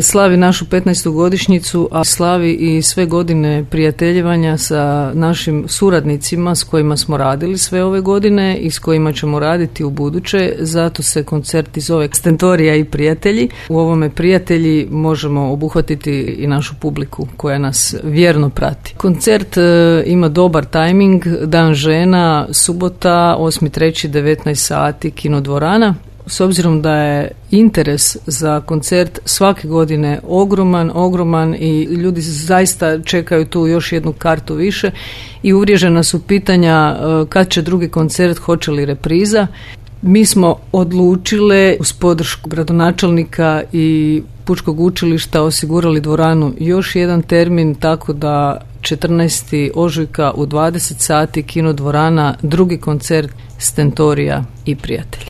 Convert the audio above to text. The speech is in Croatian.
slavi našu 15. godišnjicu, a slavi i sve godine prijateljevanja sa našim suradnicima s kojima smo radili sve ove godine i s kojima ćemo raditi u buduće. Zato se koncert zove Stentorija i prijatelji. U ovome prijatelji možemo obuhvatiti i našu publiku koja nas vjerno prati. Koncert ima dobar tajming, Dan žena, subota, 8.3. 19 sati, kinodvorana. S obzirom da je interes za koncert svake godine ogroman i ljudi zaista čekaju tu još jednu kartu više i uvriježena su pitanja kad će drugi koncert, hoće li repriza. Mi smo odlučile uz podršku gradonačelnika i Pučkog učilišta osigurali dvoranu još jedan termin, tako da 14. ožujka u 20 sati kinodvorana, drugi koncert Stentorija i prijatelji.